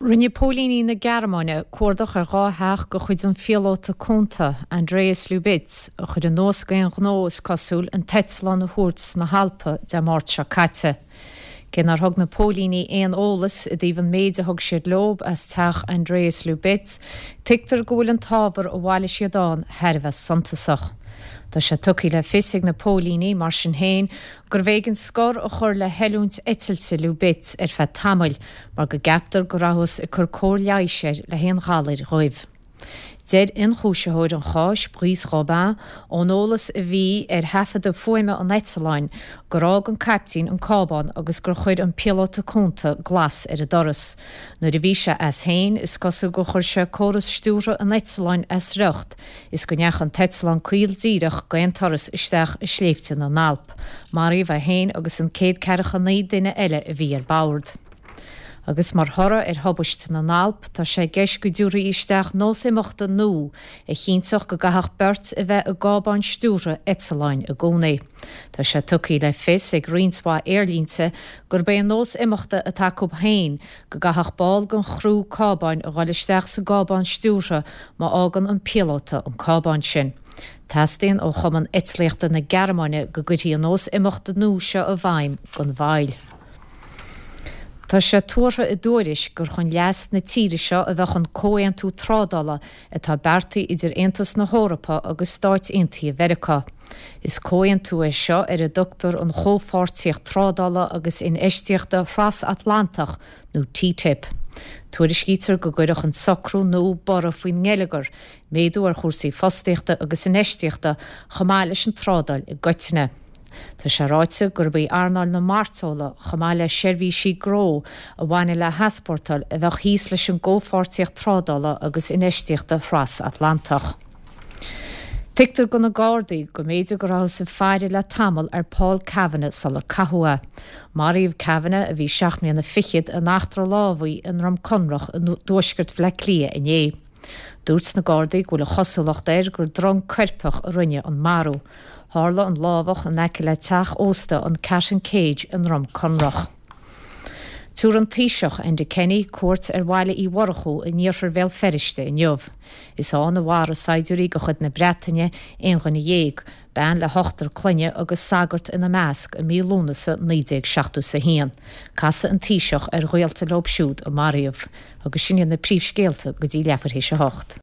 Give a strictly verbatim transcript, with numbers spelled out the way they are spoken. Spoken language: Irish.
Rinne póilíní na Gearmáine cuardach ar dhá theach de chuid an phíolóta cúnta Andreas Lubitz a chuir anuas d'aon ghnó is cosúil an t-eitleán a thuairt sna hAlpa Dé Máirt seo caite. Cé nár thug na póilíní aon eolas i dtaobh an méid a thug siad leo as teach Andreas Lubitz, tuigtear go bhfuil an t-ábhar a bhailigh siad ann thar a bheith suntasach. Tá sé tugtha le fios ag na póilíní mar sin féin gurbh éigean scor a chur le hoiliúint eitilte Lubitz ar feadh tamaill mar go gceaptar go rabhthas ag cur cóir leighis air le haon ghalair dhoimh. Deir ionchúisitheoir an cháis Brice Robin ón eolas a bhí ar thaifeadadh fuaime an eitleáin gur fhág an caiptín an cábán agus gur chuir an píolóta cúnta glas ar an doras. Nuair a bhí sé as féin is cosúil gur chuir sé córas stiúrtha an eitleáin as riocht is go ndeachaigh an t-eitleán caol díreach d'aon turas isteach i sléibhte na nAlp. Maraíodh é féin agus an céad ceathracha naoi duine eile a bhí ar bord. Agus mar thoradh ar thubaiste na nAlp tá sé i gceist go dtabharfaí isteach nós imeachta nua a chinnteodh go gcaithfeadh beirt a bheith i gcábán stiúrtha eitleáin i gcónaí. Tá sé tugtha le fios ag roinnt mhaith aerlínte gurb é an nós imeachta atá acu féin go gcaithfeadh ball den chriú cábáin a dhul isteach sa gcábán stiúrtha má fhágann an píolóta an cábán sin. Teastaíonn ó Chumann Eitlíochta na Gearmáine go gcuirfí an nós imeachta nua seo i bhfeidhm gan mhoill. Tá sé tuartha i dtuairisc gur chun leas na tíre seo a bheadh an comhaontú trádála atá beartaithe idir Aontas na hEorpa agus Stáit Aontaithe Mheiriceá. Is comhaontú é seo ar a dtugtar an Chomhpháirtíocht Trádála agus Infheistíochta Thrasatlantach nó T T I P. Tuairiscítear go gcuirfeadh an socrú nua borradh faoin ngeilleagar, méadú ar chúrsaí fostaíochta agus infheistíochta chomh maith leis an trádáil i gcoitinne. Tá sé ráite gurb í earnáil na mairteola chomh maith le seirbhísí gnó a bhaineann le heaspórtáil a bheadh thíos leis an gcomhpháirtíocht trádála agus infheistíochta Thrasatlantach. Tuigtear do na Gardaí go mb'fhéidir go rabhthas ag faire le tamall ar Paul Kavanagh sular caitheadh é. Maraíodh Kavanagh a bhí seacht mbliana fichead in eachtra lámhaigh i nDroim Conrach i dtuaisceart Bhaile Átha Cliath inné. Dúirt na Gardaí go bhfuil an chosúlacht air gur drong coirpeach a rinne an marú. Tharla an lámhach in aice le teach ósta an Cat and Cage i nDroim Conrach. Tabharfaidh an Taoiseach Enda Kenny cuairt ar Bhaile Uí Mhurchú in iarthar Bhéal Feirste inniu. Is ann a mharaigh saighdiúirí de chuid na Breataine aon dhuine dhéag, bean le hochtar clainne agus sagart ina measc i mí Lúnasa naoi déag seachtó a haon. Casfaidh an Taoiseach ar ghaolta leo siúd a maraíodh, agus sin iad na príomhscéalta go dtí leathuair théis a hocht.